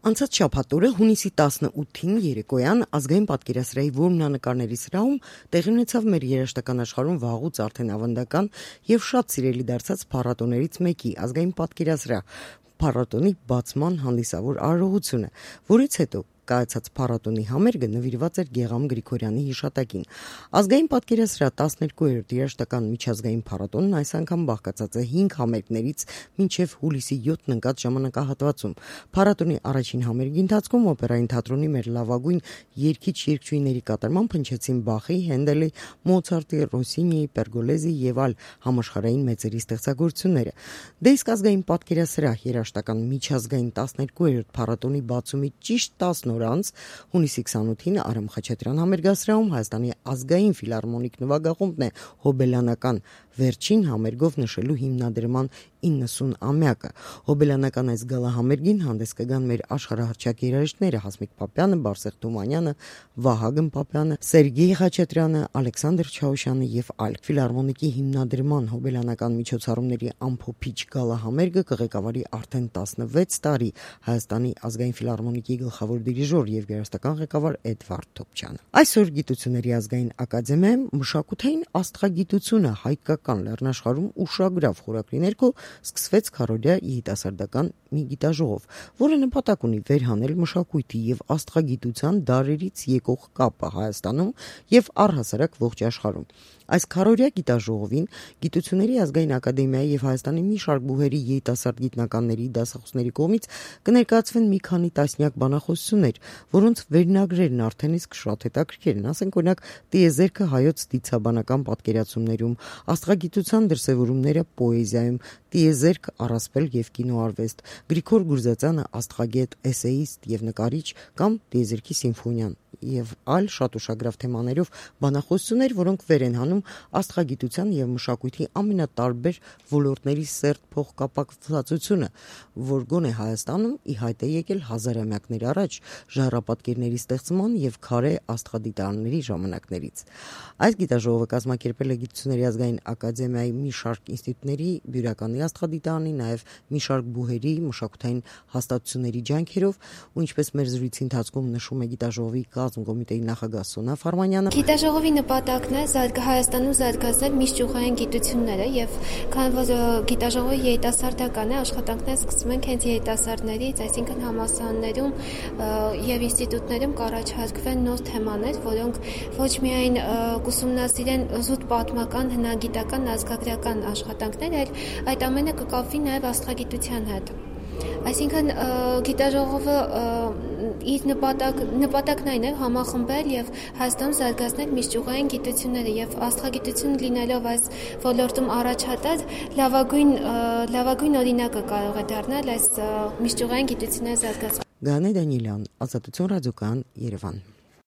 Անցած շաբաթօրը հունիսի 18-ին երեկոյան ազգային պատկերասրահի որմնանկարների սրահում տեղի ունեցավ մեր երաժշտական աշխարհում վաղուց արդեն ավանդական եւ շատ սիրելի դարձած փառատոներից մեկի ազգային պատկերասրահ փառատոնի բացման հանդիսավոր արարողությունը, որից հետո կայացած փառատոնի համերգը նվիրված էր Գեղամ Գրիգորյանի հիշատակին։ Ազգային պատկերասրահ 12-րդ երաժշտական միջազգային փառատոնն այս անգամ բաղկացած է 5 համերգներից մինչև հուլիսի 7-ն ընկած ժամանակահատվածում։ Փառատոնի առաջին համերգի ընթացքում օպերային թատրոնի մեր լավագույն երգիչ-երգչուհիների կատարմամբ հնչեցին Բախի, Հենդելի, Մոցարտի, Ռոսինիի, Պերգոլեզի եւ այլ համաշխարհային մեծերի ստեղծագործությունները։ Դե իսկ ազգային պատկերասրահ երաժշտական միջազգային 12-րդ փառատոնի բացումի ճիշտ 10 օր անց հունիսի 28-ին Արամ Խաչատրյան համերգասրահում Հայաստանի ազգային ֆիլհարմոնիկ նվագախումբն է հոբելյանական վերջին համերգով նշելու հիմնադրման 90-ամյակը։ Հոբելյանական այս գալահամերգին հանդես կգան մեր աշխարհահռչակ երաժիշտները Հասմիկ Պապյանը, Բարսեղ Թումանյանը, Վահագն Պապյանը, Սերգեյ Խաչատրյանը, Ալեքսանդր Չաուշյանը եւ այլ։ Ֆիլհարմոնիկի հիմնադրման հոբելյանական միջոցառումների ամփոփիչ գալահամերգը կղեկավարի արդեն 16 տարի Հայաստանի ազգային ֆիլհարմոնիկի գլխավոր դիրիժոր եւ երաժշտական ղեկավար Էդվարդ Թոփչյանը։ Այսօր Գիտությունների ազգային ակադեմիայում մշակութային աստղագիտությունը հայկական լեռնաշխարհում ուշագրավ խորագրի ներքո սկսվեց քառօրյա երիտասարդական մի գիտաժողով, որը նպատակ ունի վերհանել մշակույթի եւ աստղագիտության դարերից եկող կապը Հայաստանում եւ առհասարակ ողջ աշխարհում։ Այս քառօրյա գիտաժողովին Գիտությունների ազգային ակադեմիայի եւ Հայաստանի մի շարք բուհերի երիտասարդ գիտնականների, դասախոսների կողմից կներկայացվեն մի քանի տասնյակ բանախոսություններ, որոնց վերնագրերն արդեն իսկ շատ հետաքրքիր են, ասենք օրինակ տիեզերքը հայոց դիցաբանական պատկերացումներում, աստղագիտության դրսևորումները պոեզիայում, տիեզերք, առասպել եւ կինոարվեստ, Գրիգոր Գուրզածյանը աստղագետ, էսեիստ եւ նկարիչ կամ տիեզերքի սիմֆոնիան եւ այլ շատ ուշագրավ թեմաներով բանախոսություններ, որոնք վեր են հանում աստղագիտության եւ մշակույթի ամենատարբեր ոլորտների սերտ փոխկապակցվածությունը, որ գոնե Հայաստանում ի հայտ է եկել հազարամյակներ առաջ ժայռապատկերների ստեղծման եւ քարե աստղադիտարանների ժամանակներից։ Այս գիտաժողովը կազմակերպել է Գիտությունների ազգային ակադեմիայի մի շարք ինստիտուտների, Բյուրականի աստղադիտարանի, նաեւ մի շարք բուհերի, մշակութային հաստատությունների ջանքերով, ու ինչպես մեր զրույցի ընթացքում նշում է գիտաժողովի կազմկոմիտեի նախագահ Սոնա Ֆարմանյանը, գիտաժողովի նպատակն է Հայաստանում զարգացնել միջճյուղային գիտությունները եւ քանի որ գիտաժողովի երիտասարդական է, աշխատանքները սկսում են հենց երիտասարդներից, այսինքն համալսարաններում եւ ինստիտուտներում կառաջարկվեն նոր թեմաներ, որոնք ոչ միայն կուսումնասիրեն զուտ պատմական, հնագիտական, ազգագրական աշխատանքներ, այլ այդ ամենը կկապվի նաեւ աստղագիտության հետ։ Այսինքն գիտաժողովը իր նպատակն այն է համախմբել եւ Հայաստանում զարգացնել միջճյուղային գիտությունները եւ աստղագիտություն լինելով այս ոլորտում առաջատար լավագույն օրինակը կարող է դառնալ այս միջճյուղային գիտությունների զարգացման։ Գանե Դանիելյան, Ազատություն ռադիոկայան, Երևան։